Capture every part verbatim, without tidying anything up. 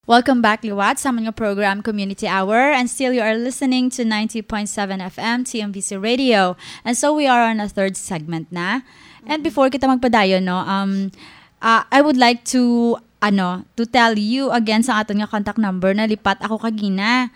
Welcome back, liwat, sa amon nga program, Community Hour. And still, you are listening to ninety point seven F M T M V C Radio. And so, we are on a third segment na. And before kita magpadayon, no, um, uh, I would like to, ano, to tell you again sa aton nga contact number na lipat ako kagina.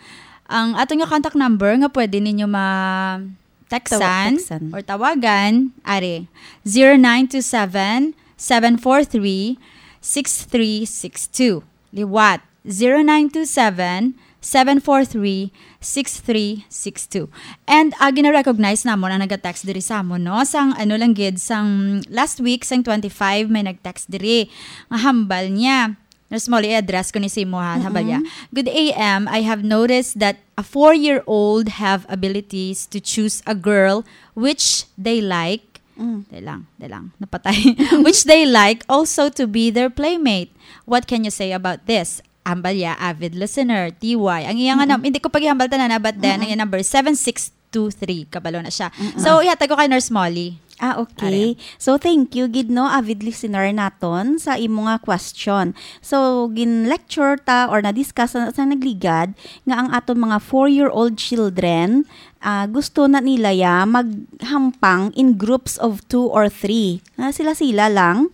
Ang aton nga contact number nga pwede ninyo ma-textan Tawa-, textan. or tawagan, are, zero nine two seven, seven four three, six three six two. Liwat, zero nine two seven, seven four three, six three six two. And, ah, gina-recognize namon ang naga-text diri sa amon, no? Sang, ano lang gid, sang last week, sang twenty-five, may nag-text diri. Nga hambal niya. Nurse Molly, i-address ko ni sa imo, ha, hambal niya. Mm-mm. "Good A M, I have noticed that a four-year-old have abilities to choose a girl which they like." Mm. Dali lang, dali lang. Napatay. "Which they like also to be their playmate. What can you say about this?" Hambal niya, avid listener, T Y. Ang iya nga Mm-mm. nam-, hindi ko pag-ihambal tanan, ha, but then, Mm-mm. ang iya number, seven six two three. Kabalo na siya. Mm-mm. So, ihatag ko kay Nurse Molly. Ah, okay. Are. So, thank you gid, no, avid listener naton sa imo nga question. So, gin-lecture ta or na-discuss na sa nagligad nga ang aton mga four-year-old children, ah, gusto na nila ya maghampang in groups of two or three. Na sila-sila lang.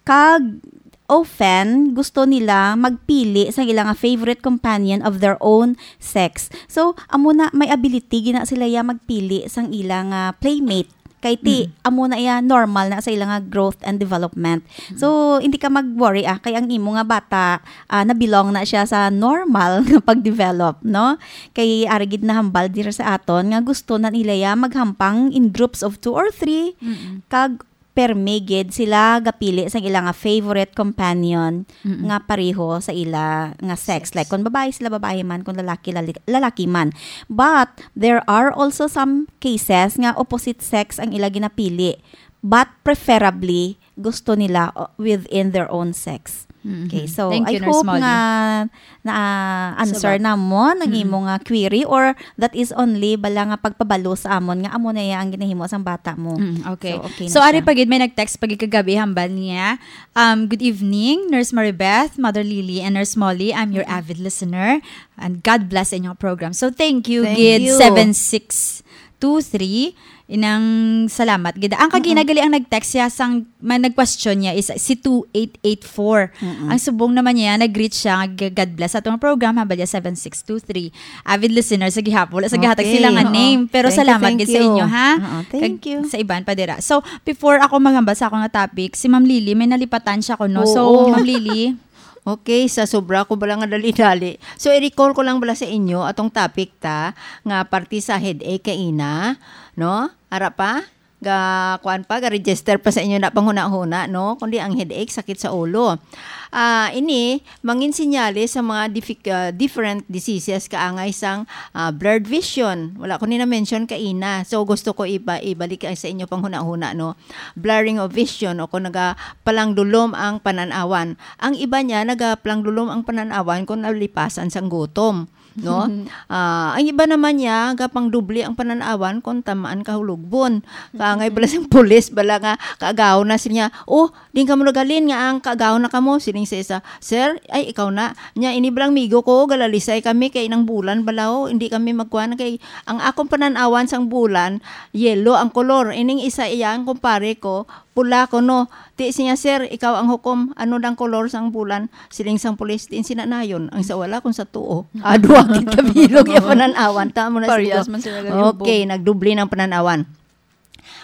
Kag often, gusto nila magpili sang ila nga favorite companion of their own sex. So, amo na, may ability gina sila ya magpili sang ila nga playmate. Kay ti, Mm. amo na ya normal na sa ila nga growth and development. Mm. So, hindi ka mag-worry, ah, kay ang imo nga bata, ah, na-belong na siya sa normal nga pag-develop, no? Kay ari gid nahambal diri sa aton nga gusto na nila ya maghampang in groups of two or three, Mm-mm. kag permi gid sila gapili sang ila nga favorite companion Mm-mm. nga pareho sa ila nga sex. Sex. Like, kung babae sila, babae man, kung lalaki, lali-, lalaki man. But there are also some cases nga opposite sex ang ila ginapili, but preferably gusto nila, uh, within their own sex. Mm-hmm. Okay, so Thank you, I Nurse hope Molly. nga na-answer Sabag. namon ang Mm-mm. imo nga query, or that is only bala nga pagpabalo sa amon nga amo na iya ang ginahimo sang bata mo. Mm, okay. So, okay na So, ari siya. pa gid, may nag-text pa gid kagabi, hambal niya, um, "Good evening, Nurse Maribeth, Mother Lily, and Nurse Molly. I'm your Mm-mm. avid listener, and God bless sa inyong program." So, thank you, Thank gid, you. seven six two three. Inang salamat gid. Ang kagina Mm-mm. gali ang nag-text siya sang, man, nag-question niya is si two eight eight four. Mm-mm. Ang subong naman niya, nag-greet siya, nga, "God bless atong program," hambal niya seven six two three. Avid listener sa gihapon. Wala sa gihatag Okay. sila nga Oo. name. Pero Thank you, salamat thank gid sa you. inyo, ha? Oo, thank Kag you. sa iban pa dira. So, before ako maghambal sa ako nga topic, si Ma'am Lily, may nalipatan siya kuno. So, Oo. Ma'am Lily. Okay, sa sobra ko bala nga dali-dali. So, i-recall ko lang bala sa inyo atong topic ta nga parte sa headache kaina, no? Ara pa? Ga, kuan pa, ga-register pa sa inyo na panghuna-huna, no? Kundi ang headache, sakit sa ulo. Ah, ini, mangin sinyales sa mga diffi-, ah, different diseases kaangay sang, ah, blurred vision. Wala ko ni na-mention kaina. So, gusto ko iba-, ibalik sa inyo panghuna-huna, no? Blurring of vision o kung nagapalangdulom ang panan-awan. Ang iba niya, nagapalangdulom ang panan-awan kung nalipasan sang gutom. No? Ah, ang iba naman niya, gapangdubli ang panan-awan kung tamaan kahulogbon. Kaangay bala sang pulis, bala nga kaagaw na siya, "Oh, din kamo nagalin nga ang kaagaw na kamo," siling sa isa, "Sir, ay, ikaw na. Nya, ini balang migo ko, galalisay kami kay nang bulan bala, oh, hindi kami magkuan kay ang akong panan-awan sang bulan, yellow ang kolor. Ining isa iya ang kumpare ko, pula ko, no." Ti siya, "Sir, ikaw ang hukom. Ano dang kolor sang bulan?" Siling sang pulis, "Diin sina nayon? Ang sa wala kung sa tuo." Adwa kita bilog yung panan-awan. Tamo na Parehas siguro. man sila gali. Okay, nagdubli ng panan-awan.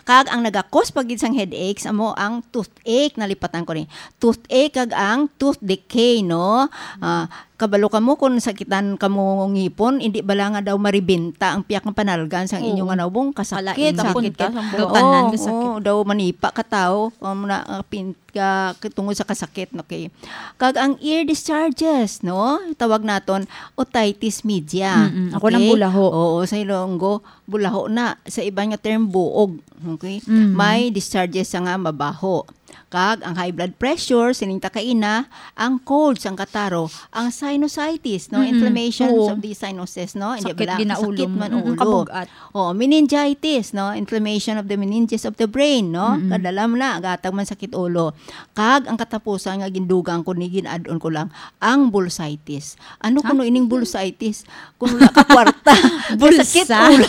Kag ang nagakos pa gid sang headaches amo ang toothache, nalipatan ko ni. Toothache kag ang tooth decay, no? Ah, kabalo kamo kung sakitan kamo ngipon, hindi bala nga daw maribenta ang piyak nga panalgan sang inyo Oo. nga naubong? Kasakit, Kalain, sakit, punta, sakit. sang buhok. Tanan Oo, nga sakit. oo, daw manipa ka tao, um, na, ah, pin-, ka, tungod sa kasakit, okay. Kag ang ear discharges, no? Tawag naton otitis media. Mm-mm. Ako Okay? nang bulaho. Oo, sa Ilonggo, bulaho na. Sa iban nga term, buog. Okay? Mm. May discharges sa nga mabaho. Kag ang high blood pressure, sining ta kaina, ang cold sang kataro, ang sinusitis, no? Mm-mm. Inflammations Oo. of the sinuses, no? Hindi Sakit bala, gina ulo kasakit mo. man Mm-mm, ulo. Kabugat. Oh, meningitis, no? Inflammation of the meninges of the brain, no? Mm-mm. Kadala mo na, gatag man sakit ulo. Kag ang katapusan nga gindugang ko ni, gin-add-on ko lang, ang bursitis. Ano Ha? kuno ining bursitis? Kung wala ka kwarta, Bulsa. kasakit ulo.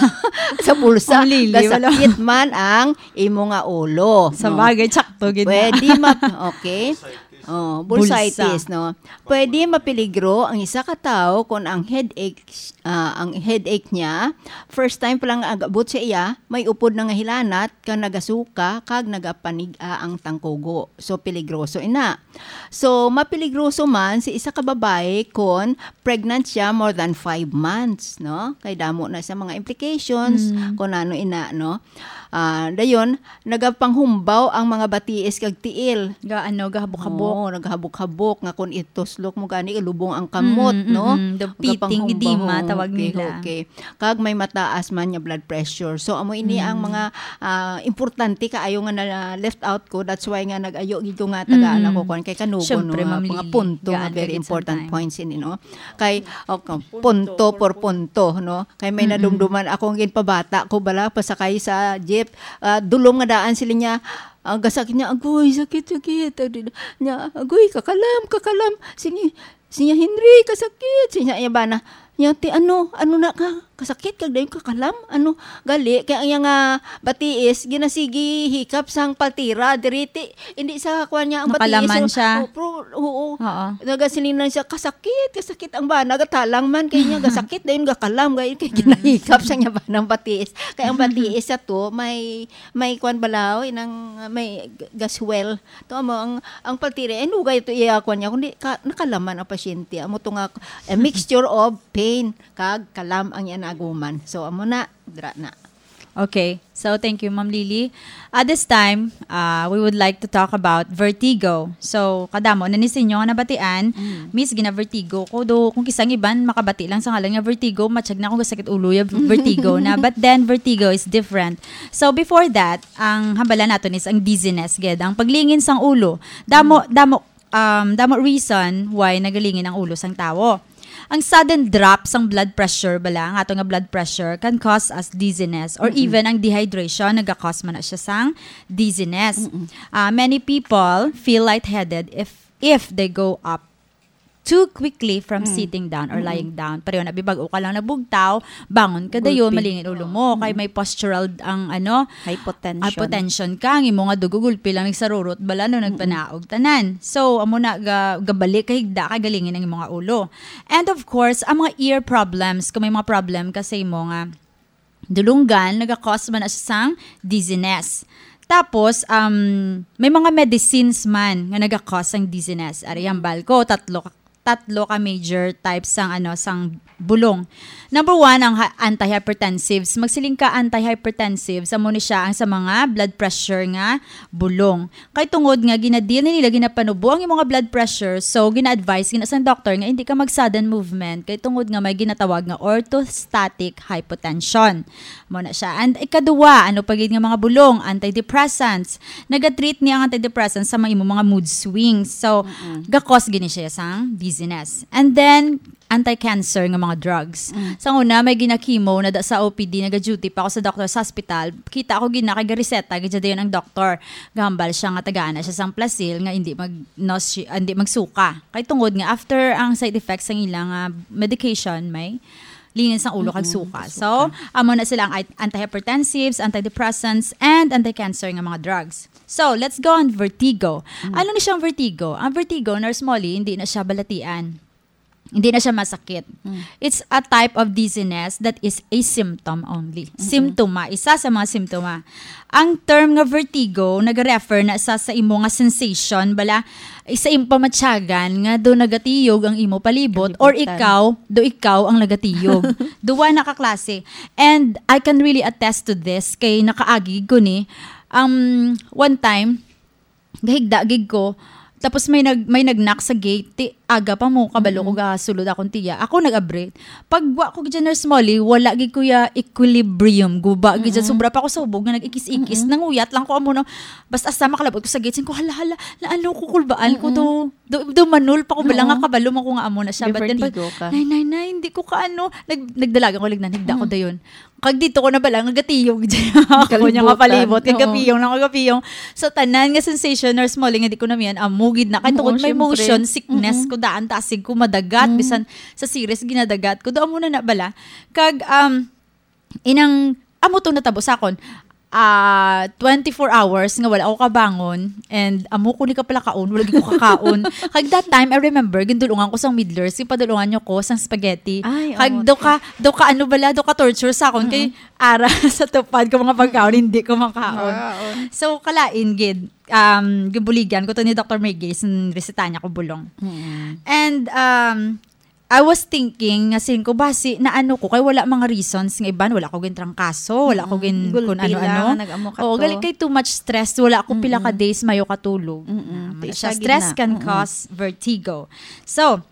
Sa bulsa, Ang lili, wala. kasakit man ang imo nga ulo, Sa no? bagay, tsakto gid na. Pwede ma-, okay. Oh, Bulsa. bursitis, no? Pwede mapeligro ang isa ka tawo kung ang headache, ah, ang headache niya, first time pa lang agabot sa iya, may upod na nga hilanat, kag nagasuka, kag nagapanig-a ang tangkugo. So, peligroso ina. So, mapeligroso man si isa ka babayi kon pregnant siya more than five months, no? Kay damo na sa mga implications, Mm. kung ano ina, no? Ah, dayon, nagapanghumbaw ang mga batiis kag tiil. Ga-, ano, gahabok-habok. Oo, naghabok-habok nga kung ituslok mo gani, ilubong ang kamot, Mm, no? mm, mm. The pitting Nagapanghumbaw, edema, oo, tawag okay, nila. okay. Kag may mataas man nga blood pressure. So, amo ini ang Mm. mga, ah, importante kaayo nga na-left out ko. That's why nga nag-ayo gid ko nga tagaan Mm. ako kuwan kay kanugon, Siyempre, no, nga Ma'am mga Lily, punto nga gaan very kagid important sometimes. points ini, no? Kay, okay, punto por punto, no? Kay may Mm-mm. nadumduman akong ginpabata ko bala, pasakay sa jeep. Ah, dulom nga daan sila niya, ah, gasakit niya, "Agoy, sakit, sakit." Adi na, niya, "Agoy, kakalam, kakalam." Sige, siya, "Henry, kasakit." Siya, iya ba na, niya, "Ti, ano, ano na ka? Kasakit, kag dayon kakalam? Ano?" Gali, kay ang iya nga batiis, ginasigi hikap sang paltira, diri ti, hindi sa kuwan niya, ang Nakalaman batiis, siya. oh, pro-, oo. Oo. Nagasiling lang siya, "Kasakit, kasakit." Ang bana, gatalang man, kay niya, gasakit, dayon gakalam, kay, kay Mm. ginahikap sa niya ba ng batiis. Kay ang batiis sa to, may, may kuwan balaw, inang, may g-, gaswell. To, amo, ang, ang paltira, eh, nugay to iya kuwan niya, kundi ka-, nakalaman ang pasyente. Amo to nga, a mixture of pain, kag kalam ang iya naguman. So, amo na, dra na. Okay. So, thank you, Ma'am Lily. At this time, uh, we would like to talk about vertigo. So, kadamo na ni sa inyo nga nabatian, Mm. Miss, gina-vertigo ko. Do, kung kisang iban, makabati lang sa ngalan nga vertigo, matsyag na akong gasakit ulo ya vertigo na. But then, vertigo is different. So, before that, ang hambalan naton is ang dizziness, gid. Ang paglingin sang ulo. Damo, Mm. damo, um, damo reason why nagalingin ang ulo sang tawo. Ang sudden drop sang blood pressure bala, ang ato nga blood pressure, can cause us dizziness, or Mm-mm. even ang dehydration, naga-cause man na siya sang dizziness. Mm-mm. Ah, many people feel lightheaded if, if they go up too quickly from Mm. sitting down or Mm-mm. lying down. Pareho na, bibag-o ka lang nabugtaw, bangon ka Gulpi. dayon, malingin ulo mo. Kay Mm-mm. may postural ang, ano, Hypotension. hypotension ka, ang imo nga dugo gulpi lang nagsarurot bala, no, Mm-mm. nagpanaog tanan. So, amo na, ga-, gabalik ka higda, kay galingin ang imo nga ulo. And of course, ang mga ear problems, kung may mga problem ka sa imo nga dulunggan, naga-cause man na siya sang dizziness. Tapos, um, may mga medicines man nga naga-cause sang dizziness. Ari, hambal ko, tatlo ka, tatlo ka major types sang, ano, sang bulong. Number one, ang ha-, antihypertensives. Magsiling ka antihypertensives, amo ni siya ang sa mga blood pressure nga bulong. Kay tungod nga gina-deal na nila, ginapanubo ang imong blood pressure, so gina-advise gina sang doctor nga hindi ka mag-sudden movement kay tungod nga may ginatawag nga orthostatic hypotension. Mo na siya. And ikaduha, ano pa gid nga mga bulong, antidepressants. Naga-treat niya ang antidepressants sa mga imong mga mood swings. So, Mm-mm. ga-cause gini siya sang dizziness. And then, anti-cancer nga mga drugs. Mm. Sa una, may gina-chemo na da-, sa O P D, naga-duty pa ako sa doctor's hospital. Kita ko gina kay gareseta gid dayon ang doctor. Gahambal siya nga tagaan na siya sang Plasil nga hindi mag-, nausea, hindi magsuka. Kay tungod nga after ang side effects sang ilang, ah, medication, may lingin sang ulo kag Mm-mm, suka. suka. So, amo na sila ang ai-, antihypertensives, antidepressants, and anti-cancer nga mga drugs. So, let's go on vertigo. Mm. Ano ni siyang vertigo? Ang vertigo, Nurse Molly, hindi na siya balatian. Hindi na siya masakit. Mm. It's a type of dizziness that is a symptom only. Mm-mm. Simptoma, isa sa mga simptoma. Ang term nga vertigo nag-refer na sa, sa imo nga sensation, bala, sa imo pamatyagan nga do nagatiyog ang imo palibot, or Kalibutan. ikaw, do ikaw ang nagatiyog. Duwa na ka klase. And I can really attest to this kay nakaagi ko ni, um, one time, gahigda gid ko. Tapos may nag-, may nag-knock sa gate. Ti-, Aga pa mo, kabalo ko Mm-mm. gasulod akong tiya. Ako nag-abri. Pag wa ko gid, Nurse Molly, wala gid ko ya equilibrium. Guba gid dyan. Mm-mm. Sobra pa ako sa hubog nga nag-ikis-ikis. Mm-mm. Nanguyat lang ko amo na. Basta sa makalabot ko sa gate, sin ko, "Hala, hala, naano ko, kulbaan ko Mm-mm. to." Do, do manul pa ko bala nga Oo. kabalo man ko nga amo na siya. May But then, pag, vertigo ka. "Nay, nay, nay, hindi ko kaano." Nag-, nagdalagan ko, lignan, higda ko Mm. dayon. Kag dito ko na bala nga gatiyog dyan. Ako niya nga Kalibutan. palibot, Oo. kagapiyong na kagapiyong. So, tanan nga sensation, Nurse Molly, nga di ko namian, amo gid na. Kay Oo, tungod may syempre. motion sickness Mm-mm. ko, daan ta asig ko madagat, Mm. bisan sa series ginadagat ko. Do amo na na bala. Kag, um, inang, amo to natabo sa akon. Ah, twenty-four hours nga wala ako kabangon and amo ko ni kapalakaon, wala gid ko kakaon. Kag that time, I remember, gindulungan ko sang Middlers, ipadulungan niyo ko sang spaghetti. Ay, Kag oo. do ka, do ka ano bala, do ka torture sa akon kay Mm-mm. ara sa tupad ko mga pagkaon, hindi ko makaon. Makaon. So, kalain gid, um, gibuligan ko to ni Doctor May Gays, ang reseta niya ko bulong. Mm. And, um, I was thinking nga sin ko, basi naano ko kay wala mga reasons nga iban, wala ko gintrangkaso, wala ko Mm, gin-, gulpi kun lang ano-ano. nga nag-amo ka Oo, to. gali kay too much stress, wala ko pila ka Mm-mm. days mayo katulog. Mm-mm. Ah, Ti siya, siya gid stress na. can Mm-mm. cause vertigo. So,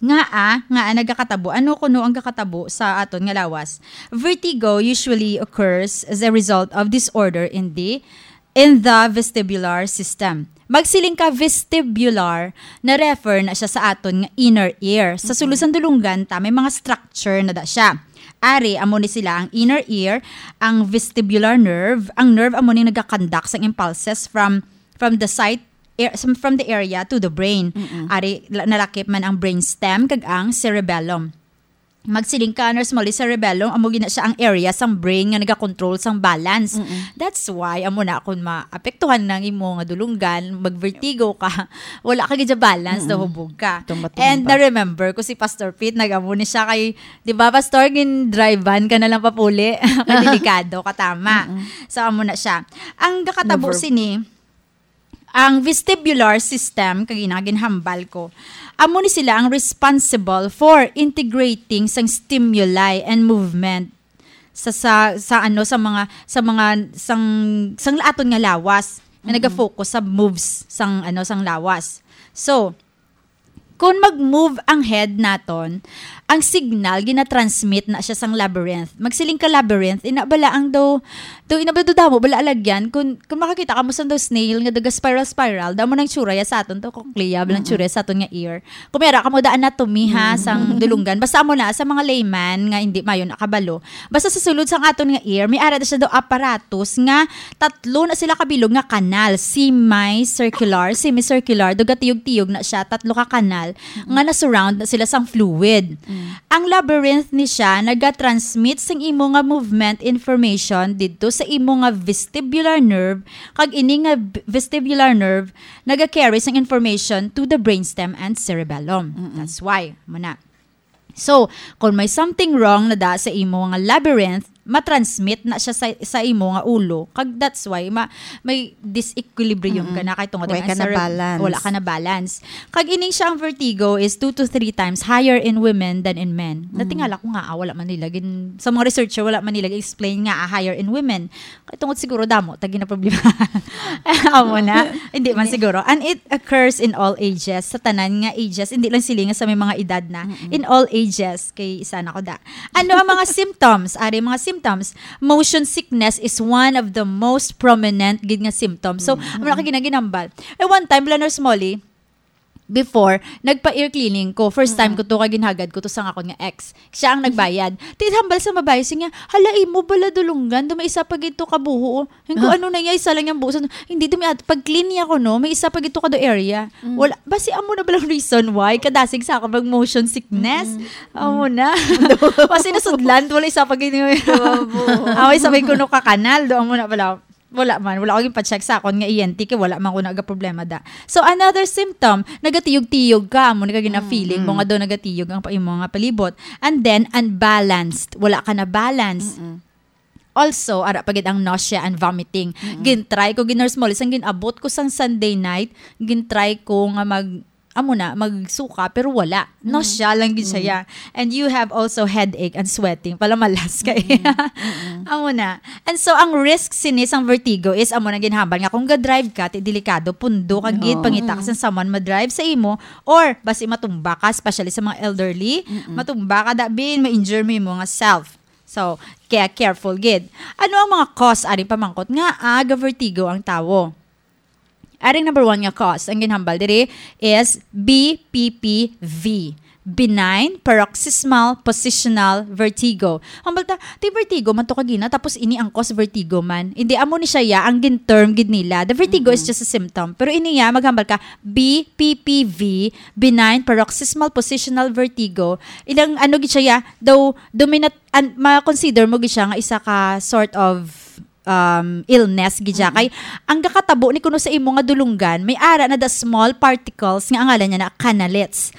nga, ah, nga, ah, nagakatabo. Ano kuno ang gakatabo sa aton nga lawas? Vertigo usually occurs as a result of disorder in the in the vestibular system. Magsiling ka vestibular, na-refer na siya sa aton nga inner ear. Sa sulod Mm-mm. sang dulunggan ta, may mga structure na da siya. Ari, amo ni sila ang inner ear, ang vestibular nerve. Ang nerve amo ni nagaconduct sang impulses from, from the site, air, from the area to the brain. Mm-mm. Ari, la-, nalakip man ang brainstem kag ang cerebellum. Magsiling ka, Nurse Molly, cerebellum, amo gina siya ang area sang brain nga nagakontrol sang balance. Mm-mm. That's why, amo na, kung maapektuhan na ang imo nga dulunggan, magvertigo ka, wala ka gid sa balance, Mm-mm. nahubog ka. Tumba-tumba. And na-remember ko si Pastor Pete, nag-amo ni siya kay, di ba, Pastor, gin-drive-an ka na lang papuli? Kay delikado ka, tama. Mm-mm. So, amo na siya. Ang gakatabo Never. sini, ang vestibular system, kag ina ginhambal ko, amo ni sila ang responsible for integrating sang stimuli and movement sa, sa, sa ano, sa mga, sa mga, sang, sang aton nga lawas, nga Mm-mm. naga-focus sa moves sang, ano, sang lawas. So, kung mag-move ang head naton, ang signal gina-transmit na siya sang labyrinth. Magsiling ka labyrinth, ina bala ang daw, daw ina bala daw damo bala alagyan. Kung, kung makakita ka mo sa daw snail nga daga spiral-spiral, damo nang tsura ya sa aton to, cochlea, bala ang Mm-mm. tsura ya sa aton nga ear. Kung may ara ka mo da anatomy ha, Mm. sang dulunggan. Basta amo na, sa mga layman nga hindi mayo nakabalo. Basta sa sulod sang aton nga ear, may ara da siya daw apparatus nga tatlo na sila kabilog nga kanal, semicircular, semicircular, daw gatiyog-tiyog na siya, tatlo ka kanal, Mm. nga na-surround na sila sang fluid. Mm. Ang labyrinth ni siya naga-transmit sang imo nga movement information didto sa imo nga vestibular nerve, kag ini nga v-, vestibular nerve naga-carry sang information to the brainstem and cerebellum. Mm-mm. That's why, mo na. So, kung may something wrong na da sa imo nga labyrinth, matransmit na siya sa, sa imo nga ulo. Kag that's why ma-, may disequilibrium Mm-mm. ka na kay tungod Wala ang ka na cerebr-, balance. wala ka na balance. Kag ining siya ang vertigo is two to three times higher in women than in men. Mm. Natingala ko nga, ah, wala man nila gin-, sa mga researcher, wala man nila explain nga, ah, higher in women. Kay tungod siguro damo ta ginaproblema. Amo na. Hindi man Hindi. siguro. And it occurs in all ages. Sa tanan nga ages, hindi lang sila nga sa may mga edad na. Mm-mm. In all ages, kay isa na ko da. Ano ang mga symptoms? Ari, mga symptoms. Motion sickness is one of the most prominent gid nga symptoms. So, Mm. amo na ka ginaginambal. Eh, one time, bala, Nurse Molly, before, nagpa-ear cleaning ko. First time Mm-mm. ko to, kay ginhagad ko to sa akon nga ex. Siya ang nagbayad. Ti hambal sa mabayo, siya nga, "Hala, imo bala dulunggan, do may isa pa gid to ka buho, oh." Yung kung Ah. ano na niya, isa lang yung buho. Sa, hindi, dumi at pag-clean niya ko, no, may isa pa gid to ka do area. Mm. Wala, basi amo na bala ang reason why kadasig sa ako mag motion sickness? Mm-mm. Amo na. Basi nasudlan, wala isa pa gid yung Diba, buho? Ah, isa pa yung kuno ka kanal, do amo na bala. Wala man, wala ko ginpa-check sa akon nga E N T kay wala man ko nagaproblema da. So, another symptom, nagatiyog-tiyog ka, amo ni ka gina-feeling mo Mm. nga daw nagatiyog ang pa-, imo nga palibot. And then, unbalanced, wala ka na balance. Mm-mm. Also, ara pa gid ang nausea and vomiting. Mm-mm. Gin-try ko, gin-, Nurse Molly, sang gin-abot ko sang Sunday night, gin-try ko nga mag amo na, magsuka, pero wala. Nausea lang gid siya. And you have also headache and sweating. Palamalas kay. Amo na. And so, ang risk sini sang vertigo is amo na ginhambal nga kung ga-drive ka, ti delikado, pundo ka gid, pangita ka sa someone ma-drive sa imo, or basi matumba ka, especially sa mga elderly, matumba ka, dabin, ma-injure mo imo nga self. So, kaya careful gid. Ano ang mga cause aring pamangkot nga aga vertigo ang tawo? Aring number one nga cause, ang ginhambal diri is B P P V, benign paroxysmal positional vertigo. Hambal ta, ti vertigo man to kagina, tapos ini ang cause vertigo man. Hindi, amo ni siya ya, ang gin-term gid nila. The vertigo is just a symptom. Pero ini ya, maghambal ka, B P P V, benign paroxysmal positional vertigo. Ilang ano gid siya ya, daw, dominat, an, ma-consider mo gid siya nga isa ka sort of um, illness gid siya. Kay ang gakatabo ni kuno sa imo nga dulunggan, may ara na da small particles nga ang ngalan niya na canalets.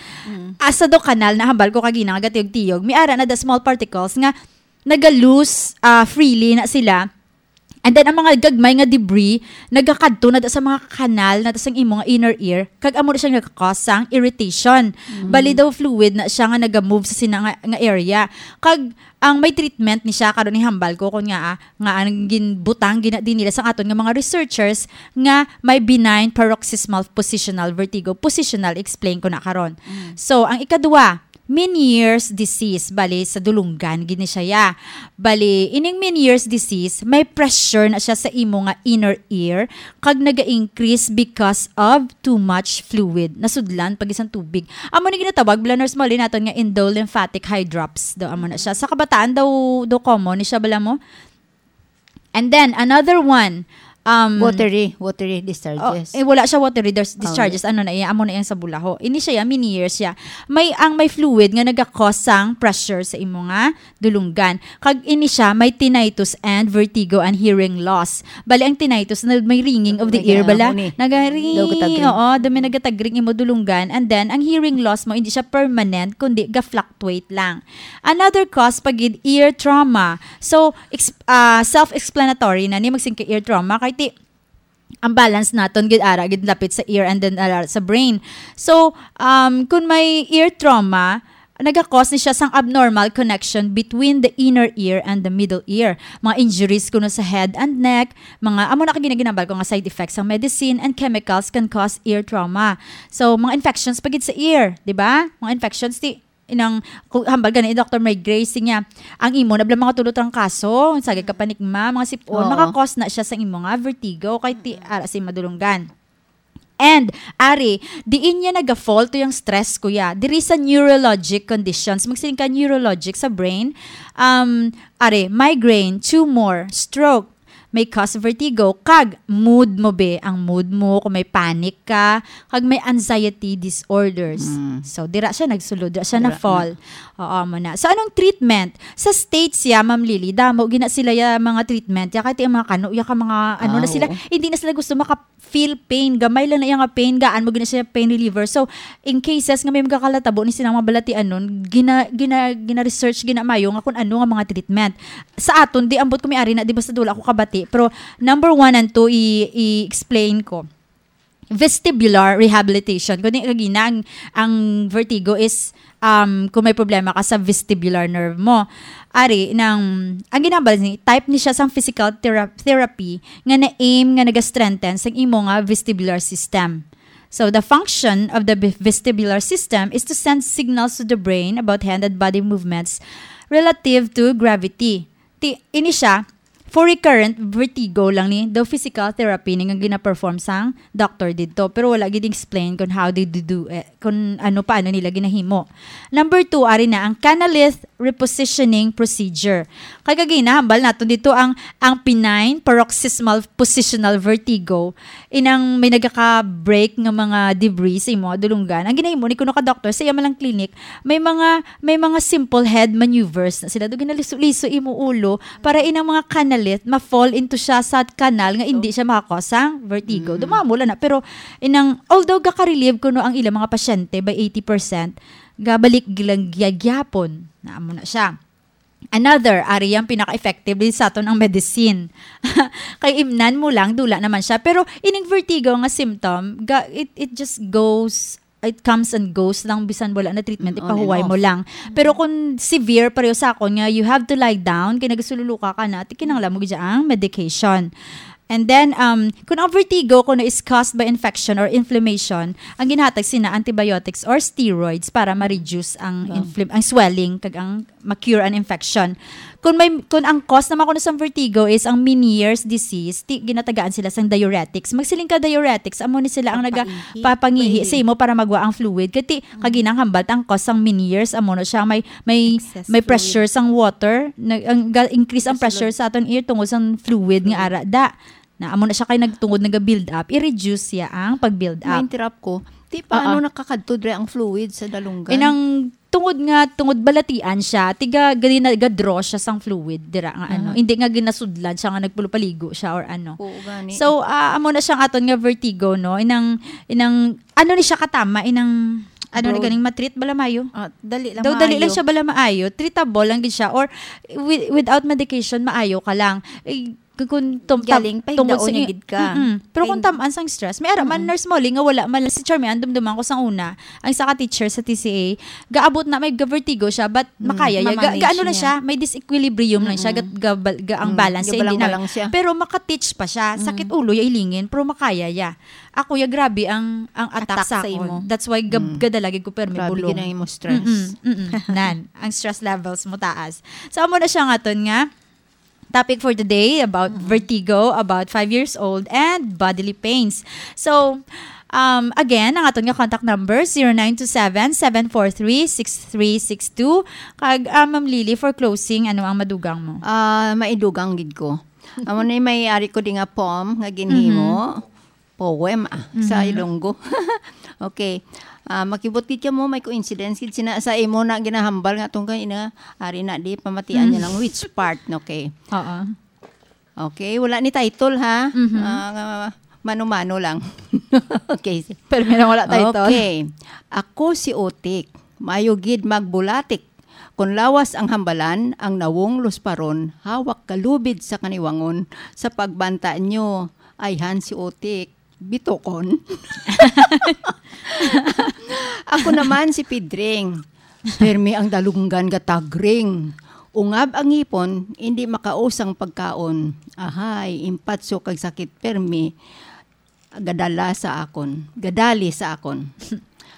Asa do kanal na hambal ko kagina nga gatiyog-tiyog, may ara na da small particles nga naga-loose, ah, freely na sila. And then, ang mga gagmay nga debris, nagakadto na da sa mga kanal, na da sang imo nga inner ear, kag amo na siya nagakakos sang irritation. Bali daw fluid na siya nga naga-move sa sina nga, nga area. Kag ang may treatment ni siya karon, ihambal ko kun nga, ah, nga ang ginbutang gina-, din nila sang aton nga mga researchers nga may benign paroxysmal positional vertigo. Positional, explain ko na karon. So, ang ikadua, Meniere's disease. Bali, sa dulunggan gid ni siya ya. Bali, ining Meniere's disease, may pressure na siya sa imo nga inner ear, kag naga-increase because of too much fluid. Nasudlan pag isang tubig. Amo ni ginatawag, bala, Nurse Molly, naton nga endolymphatic eye drops. Daw amo na siya. Sa kabataan daw, daw common ni siya, bala mo. And then, another one, um, Watery, watery discharges. Oh, eh, wala siya watery dis-, Oh, discharges. Ano na iya? Amo na iyang sa bulaho. Ini siya, ya, Meniere's siya. May, ang may fluid nga nagakos sang pressure sa imo nga dulunggan. Kag ini siya, may tinnitus and vertigo and hearing loss. Bali, ang tinnitus na may ringing of the Nag-, ear, bala. Ano ni? Nagaring. Daw gatagring. Oo, dumi nagatagring imo dulunggan. And then, ang hearing loss mo, hindi siya permanent, kundi ga-fluctuate lang. Another cause pa gid, ear trauma. So, ex-, ah, self-explanatory na ni magsing ka ear trauma. Kay ti, ang balance naton gid ara gid lapit sa ear and then ara sa brain. So, um, kung may ear trauma, nagakos ni siya sang abnormal connection between the inner ear and the middle ear. Mga injuries kuno sa head and neck, mga amo na kagina ginambal ko nga side effects sang medicine and chemicals can cause ear trauma. So, mga infections pa gid sa ear, di ba? Mga infections ti inang ku-, hambal gani ni Doctor Mary Grace niya, ang imo na bala mga tulo trangkaso, sagad ka panikma, mga sip-on, Oo. Makakos na siya sa imo nga vertigo kay ti ara sa madulunggan. And, ari, diin niya naga-fall to yung stress, kuya. Diri sa neurologic conditions, magsiling ka neurologic sa brain, um, ari, migraine, tumor, stroke, may cause vertigo, kag mood mo, be. Ang mood mo, kung may panic ka, kag may anxiety disorders. Mm. So, dira siya nagsulod, dira siya Dira na-fall. Oo, mo na. So, anong treatment? Sa States, ya, Ma'am Lily, damo gina sila ya mga treatment. Ya, kahit yung mga kano, ya ka mga, ano na Ah, sila, oo. hindi na sila gusto maka-feel pain. Gamay lang na iya nga pain, gaan mo gina siya pain reliever. So, in cases nga may magkakalatabo ni silang mga balatianon, gina-, gina-, gina-research, ginamayo nga kung ano nga mga treatment. Sa aton, di ambot ko may ari na, di basta wala ko kabati. Pero number one and two, i-, i-explain ko. Vestibular rehabilitation. Kung di kagina, ang, ang vertigo is, um, kung may problema ka sa vestibular nerve mo. Ari, nang, ang ginambal ni, type ni siya sang physical thera-, therapy nga na-aim nga naga-strengthen sang imo nga vestibular system. So, the function of the ve-, vestibular system is to send signals to the brain about hand and body movements relative to gravity. Ti, ini siya, for recurrent vertigo lang ni, daw physical therapy ni nga gina-perform sang doctor didto. Pero wala gid explain kung how they do, do it, kung ano, paano nila ginahimo. Number two, ari na ang canalith repositioning procedure. Kay kagina, hambal naton dito ang, ang benign paroxysmal positional vertigo, inang may nagaka-break nga mga debris sa imo nga dulunggan. Ang ginahimo ni kuno ka doctor sa iya man lang clinic, may mga, may mga simple head maneuvers na sila. Do ginaliso-liso imo ulo para inang mga canalith ma-fall into siya sa kanal nga hindi siya makakos sang vertigo. Mm. Dumamo lang na. Pero inang, although gaka-relieve kuno ang ilang mga pasyente by eighty percent, gabalik lang gya-, gyapon. Na amo na siya. Another, ari ang pinaka-effective din sa aton ang medicine. Kay imnan mo lang, dula naman siya. Pero ining vertigo nga symptom, ga-, it, it just goes it comes and goes lang, bisan wala na treatment, Mm, on ipahuway and mo off. Lang. Pero kung severe pareho sa akon nga you have to lie down, kay nagasululuka ka na, ti kinahanglan mo gid ang medication. And then, um, kung ang vertigo kuno is caused by infection or inflammation, ang ginahatag sina antibiotics or steroids para ma-reduce ang infl- ang swelling kag ang ma-cure ang infection. Kung may kung ang cause naman kuno sa vertigo is ang Meniere's disease, ti ginatagaan sila sang diuretics. Magsiling ka diuretics, amo ni sila ang Papangihi. nagapapangihi sa imo para magwa ang fluid. Kati kaginang hambal ang cause sang Meniere's, amo na siya may may Excess may fluid. Pressure sang water, nag ang ga- increase ang pressure sa aton ear tungod sang fluid nga ara da. Na amo na siya kay nagtungod naga-build up, i-reduce siya ang pag-build up. Ma-interrupt ko. Ti paano Oo. Nakakadto dre ang fluid sa dalunggan? Inang tungod nga tungod balatian siya, tiga gali na ga-draw siya sang fluid dira nga ano. Hindi nga ginasudlan siya nga nagpulupaligo siya or ano. Oo, gani. So, ah, amo na siyang aton nga vertigo, no? Inang inang ano ni siya katama, inang ano ni Broad. Ganing matreat bala maayo? Ah, dali lang Daw dali lang maayo. Siya bala maayo, treatable lang gid siya or wi- without medication maayo ka lang. Eh, kung tum- Galing, tungod pahindaon sa niya i- gid ka. Mm-mm. Pero kung Pahin- tamaan sang stress, may ara man nurse mo nga wala man si Charmaine dumduman ko sang una. Ang isa ka teacher sa T C A, gaabot na may vertigo siya but makaya ya. Ga, Mamanage ga- ano lang niya. Siya, may disequilibrium lang siya, ga, ga, ga- ang Mm. balance siya, hindi Gabalang na. lang siya. Pero maka-teach pa siya. Sakit ulo ya ilingin, pero makaya ya. Ako ya grabe ang ang attack, Attack sa sa akon. Imo. That's why gab, gadala gid ko permi Grabe bulong. Gid ang imo stress. Mm-mm, mm-mm. Nan, ang stress levels mo taas. So amo na siya nga aton nga topic for today about vertigo, about five years old, and bodily pains. So, um, again, ang aton nga contact number, zero nine two seven, seven four three, six three six two. Kag, ah, Ma'am Lily, for closing, ano ang madugang mo? Ah, maidugang gid ko. Amo ni may ari ko di nga poem nga ginhimo. Poem ah, sa Ilonggo. Okay. Ah, makibot gid ka mo, may coincidence gid sina sa imo na ginahambal nga tungkol ina, ari na di pamatian niya lang which part, okay. Oo. Okay, wala ni title ha. Ah, nga mano-mano lang. Okay. Pero may wala title. Okay. Ako si Otik, mayo gid magbulatik. Kung lawas ang hambalan, ang nawong lusparon, hawak kalubid sa kaniwangon, sa pagbanta nyo, ayhan si Otik, bitokon. Ako naman si Pidring. Permi ang dalunggan gatagring. Ungab ang ngipon, hindi makausang pagkaon. Ahay, impatso kag sakit permi, gadala sa akon. Gadali sa akon.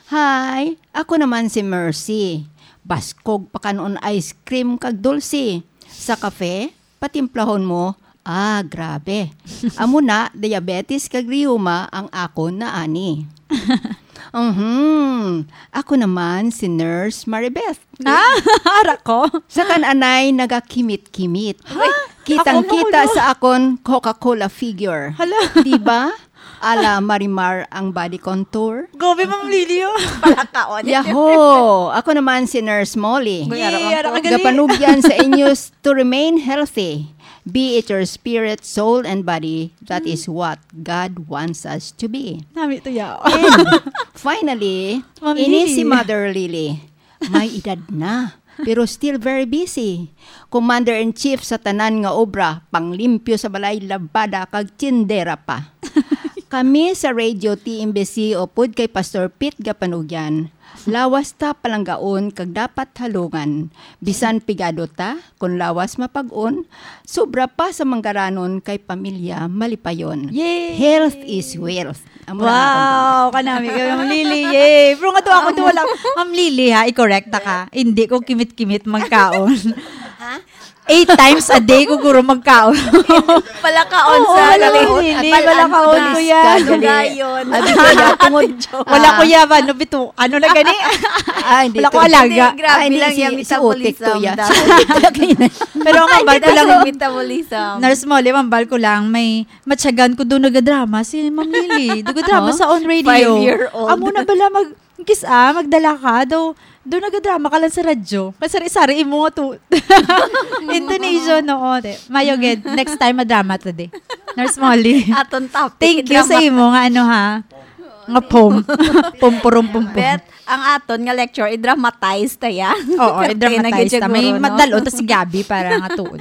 Hi, ako naman si Mercy. Baskog pakanon ice cream kag dulce. Sa kafe, patimplahon mo. Ah, grabe. Amo na, diabetes kag rheuma ang akon na ani. Mhm. Ako naman si Nurse Maribeth. Ah, ara ko. Sa kan-anay nagakimit-kimit. Kitang-kita sa akon Coca-Cola figure. Hala. Di ba? Ala Marimar ang body contour. Gobi, Ma'am Lily, oh. Palakaon. Yahoo! Ako naman si Nurse Molly. Yay, ara ka galing. Gapanugyan sa inyo to remain healthy. Be it your spirit, soul, and body. That is what God wants us to be. Nami to ya. And finally, Ma'am ini Lily. Si Mother Lily. May edad na, pero still very busy. Commander-in-chief sa tanan nga obra, panglimpyo sa balay, labada, kag tindera pa. Kami sa Radio T M B C upod kay Pastor Pete Gapanugyan, lawas ta palanggaon kag dapat halungan. Bisan pigado ta, kun lawas mapag-on, sobra pa sa manggaranon kay pamilya malipayon. Yay! Health is wealth. Amo na ang akong Wow! Kanami kay Ma'am Lily. Yay! Pero nga to ako to wala. Ma'am Lily ha, i-correct ta ka. Hindi ko kimit-kimit magkaon. Eight times a day ko guro magkaon. Palakaon Oo, sa wala lahat. ko, Lily. Atal-, Wala ka, alto, kuya. Lugayon. Abi ko ya, tungod. Wala ko ya ba? No, bito. Ano na gani? Ah, hindi Wala ko to. alaga. Hindi, grabe Ah, hindi, lang si, yung si Otik to metabolism. ya. Dahil Pero ang mambal ko lang, metabolism. Nurse Molly, mambal ko lang, may matyagan ko doon nagadrama si Ma'am Lily. Nagadrama Huh? Sa on radio. Five-year-old. Amo na bala mag, kis ah, magdala ka. Daw, doon nagadrama ka lang sa radyo. Kasari-sari imo nga to. Intonation, no? O, di. Mayo gid. Next time, madrama to, di. Nurse Molly. Aton topic. Thank you sa Drama- imo nga ano ha. Nga pom. Pom, purum, pom, pom. Bet, ang aton nga lecture, i-dramatize ta ya. Oo, Kaya i-dramatize na gid ta. May siguro, no? Madalo ta si Gabby para nga tuod.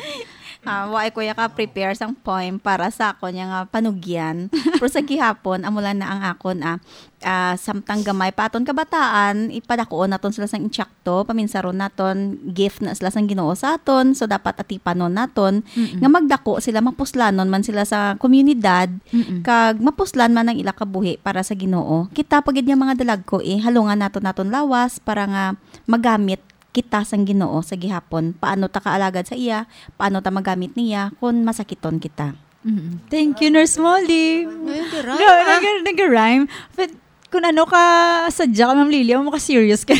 Ah, wa ay kuya ka prepare sang poem para sa akon nga panugyan. Pero sa gihapon, amo lang na ang akon, ah, ah, samtang gamay pa aton kabataan, ipadako naton sila sang insakto, paminsaron naton, gift na sila sang Ginoo sa aton, so dapat atipanon naton Mm-mm. nga magdako sila, mapuslanon man sila sa komunidad, Mm-mm. kag mapuslan man ang ila kabuhi para sa Ginoo. Kita pa gid nga mga dalagko, eh, halungan naton naton lawas para nga magamit kita sang Ginoo sa gihapon. Paano ta kaalagad sa iya? Paano ta magamit niya kon masakiton kita? Mm. Thank you, Nurse Molly. Ngayon, di rhyme, Ga-, ah. nag-, nag-rhyme. But kung ano ka, sadya ka, Ma'am Lily, mo ka serious ka.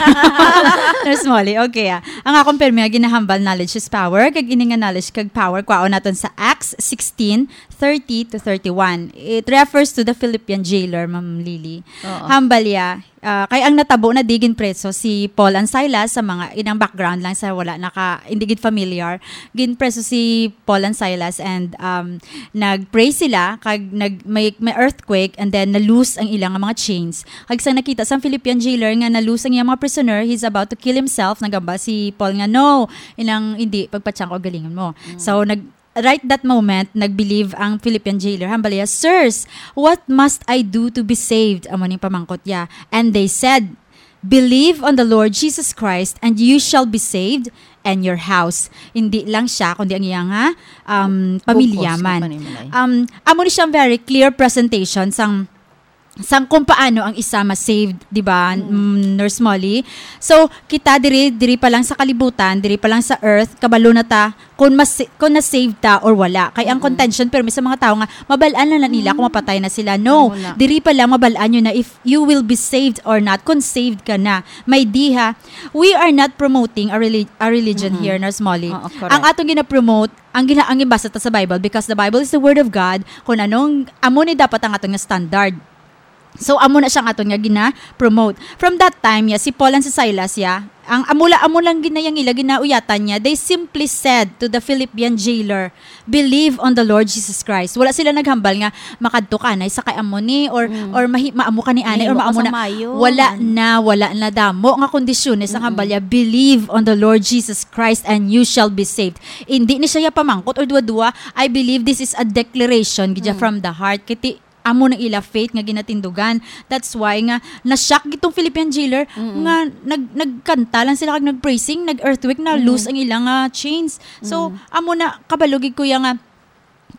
Nurse Molly, okay, ah. Ang akong permi nga ginahambal, knowledge is power. Kag ini nga knowledge kag power, kwaon naton sa Acts sixteen thirty to thirty-one. It refers to the Philippian jailer, Ma'am Lily. Oo. Hambal ya, ah, kay ang natabo na di ginpreso si Paul and Silas sa mga, inang background lang sa wala naka, hindi gid familiar. Ginpreso si Paul and Silas and, um, nag-pray sila, kag nag-, may, may earthquake, and then na-loose ang ilang mga chains. Kag sa nakita sang Philippian jailer nga na-loose ang iyang mga prisoner, he's about to kill himself, naghambal si Paul nga, "No, inang hindi, pagpatyang ko, galingon mo." Mm. So, nag-, right that moment, nag-believe ang Philippian jailer. Hambal iya, "Sirs, what must I do to be saved?" Amo ning pamangkot niya. And they said, "Believe on the Lord Jesus Christ, and you shall be saved, and your house." Hindi lang siya, kundi ang iyang, ha, um, pamilya Bug-os nga man. Panimalay. Um, amo ni siyang very clear presentation sang, sang kung paano ang isa ma-saved, di ba, Mm. mm, Nurse Molly? So, kita diri, diri pa lang sa kalibutan, diri pa lang sa earth, kabalo na ta kung mas-, kung na-save ta or wala. Kay ang Mm-mm. contention, pero may sa mga tao nga, mabal-an lang na nila kung Mm. mapatay na sila. No, Amo na. diri pa lang mabal-an nyo na if you will be saved or not, kung saved ka na. May diha, we are not promoting a, reli-, a religion Mm-mm. here, Nurse Molly. Oo, correct. Ang atong gina-promote, ang gina-, ang gibasa ta sa Bible, because the Bible is the Word of God, kung anong, amo ni dapat ang aton nga standard. So, amo na siya ang aton nga gina-promote. From that time, ya, si Paul and si Silas, ya, ang amo la-, amo lang ginayang ila, ginauyatan niya, they simply said to the Philippian jailer, "Believe on the Lord Jesus Christ." Wala sila naghambal nga, "Makadto ka anay sa kay amo ni," or, Mm. or mahi-, maamo ka ni anay, or Mahimo ka maamo sa na. Mayo, Wala man. na, wala na damo nga kondisyones ang Mm-mm. hambal niya, "Believe on the Lord Jesus Christ and you shall be saved." Hindi ni siya ya pamangkot or duwa-duwa, I believe this is a declaration gid ya Mm. from the heart. Kiti, amo na ila faith nga ginatindugan. That's why nga na-shock gid tong Philippian jailer Mm-mm. nga nag-, nagkanta lang sila kag nag-praising, nag-earthquake, na-loose Mm. ang ilang, ah, chains. So, Mm. amo na, kabalo gid kuya nga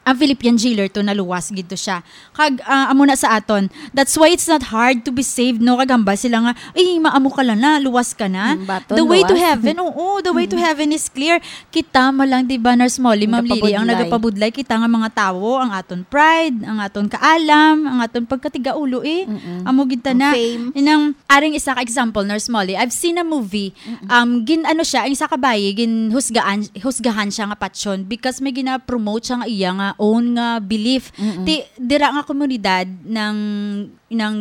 ang Philippian jailer to, naluwas gid to siya. Kag, ah, amo na sa aton. That's why it's not hard to be saved, no? Kag hambal sila nga, "Ay, maamo ka lang na, luwas ka na." Mm, baton, The way to luwas. heaven, oo, the way to Mm. heaven is clear. Kita mo lang, di ba, Nurse Molly, Ma'am Lily, ang Nagapabudlay. nagapabudlay kita nga mga tawo, ang aton pride, ang aton kaalam, ang aton pagkatigaulo, eh. Mm-mm. Amo gid ta Ang na. fame. Inang, aring isa ka example, Nurse Molly, I've seen a movie, Mm-mm. um, gin-, ano siya, ang isa ka bayi, ginhusgaan, husgahan siya nga patyon because may gina-promote siya nga iya nga own nga belief. Mm-mm. Ti, dira nga komunidad ng, ng,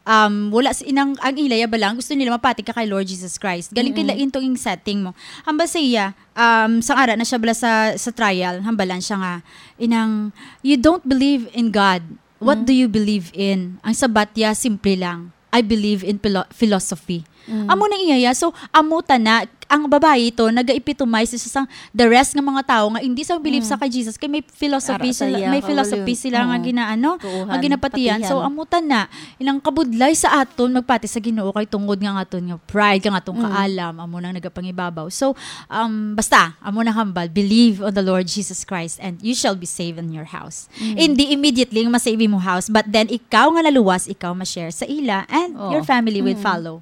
um, wala si, inang, ang ilaya ba lang, gusto nila mapati ka kay Lord Jesus Christ. Galing Mm-mm. kay lain tong ing setting mo. Hambal sa iya, um, sang ara na siya bala sa, sa trial, hambalan siya nga, inang, "You don't believe in God. What Mm. do you believe in?" Ang sabat niya, simple lang, "I believe in philo-, philosophy." Mm. Amo na iya ya. So, amo ta na, ang babayi to, naga-epitomize siya sa the rest nga mga tawo nga hindi sa believe Mm. sa kay Jesus, kay may philosophy Ara sa sila, iya, may philosophy kauli. sila nga Oo. ginaano, Tuuhan, nga ginapatihan. So, patihan. amo ta na, inang kabudlay sa aton, magpati sa Ginoo kay tungod nga ang aton nga pride, kang aton Mm. kaalam, amo nang nagapangibabaw. So, um, basta, amo na hambal, believe on the Lord Jesus Christ and you shall be saved in your house. Mm. Hindi immediately nga ma-save mo house, but then ikaw nga naluwas, ikaw ma-share sa ila and Oo. your family will Mm. follow.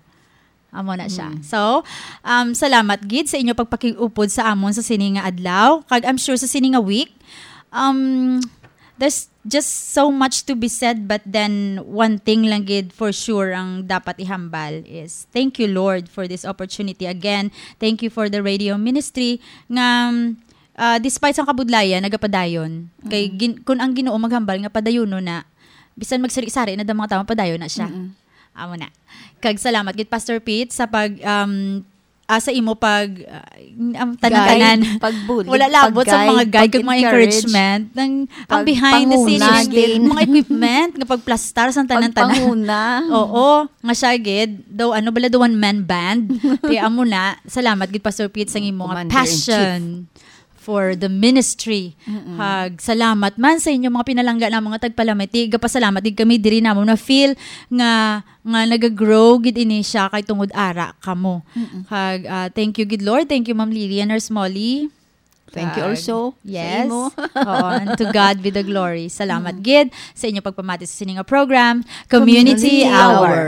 Amo na siya. Mm. So, um, salamat gid sa inyo pagpakiupod sa amon sa sini nga adlaw. Kag I'm sure sa sini nga week, um, there's just so much to be said, but then one thing lang gid for sure ang dapat ihambal is thank you, Lord, for this opportunity. Again, thank you for the radio ministry nga, um, ah, despite sang kabudlayan, nagapadayon. Kay Mm. gin-, kun ang Ginoo maghambal nga padayonon na, bisan magsari-sari na da mga tawo, padayon na siya. Mm-mm. Amo na. Kag salamat gid, Pastor Pete, sa pag, um, ah, sa imo pag, ah, ang tanan-tanan. Guide, pagbulig, Wala labot sa mga pag-guide, guide kag mga pag-encourage, encouragement. Ang, ang pag-, behind the scene, panguna, mga equipment, nga pagplastar sa tanan-tanan. Pagpanguna. Oo, nga siya gid, daw, ano bala, the one-man band. Kaya amo na, salamat gid, Pastor Pete, sa imo nga Commander in Chief. passion. for the ministry. Hag salamat man sa inyo mga pinalangga na mga tagpalamati. Gapasalamat gid kami diri namo na feel nga nga nagagrow gid ini siya kay tungod ara kamo. Hag ah, thank you gid Lord. Thank you Ma'am Lily and Nurse Molly. Thank you Hag- also sa Yes. imo. Oo, and to God be the glory. Salamat gid sa inyo pagpamati sa sining nga program, Community, Community Hour. Hour.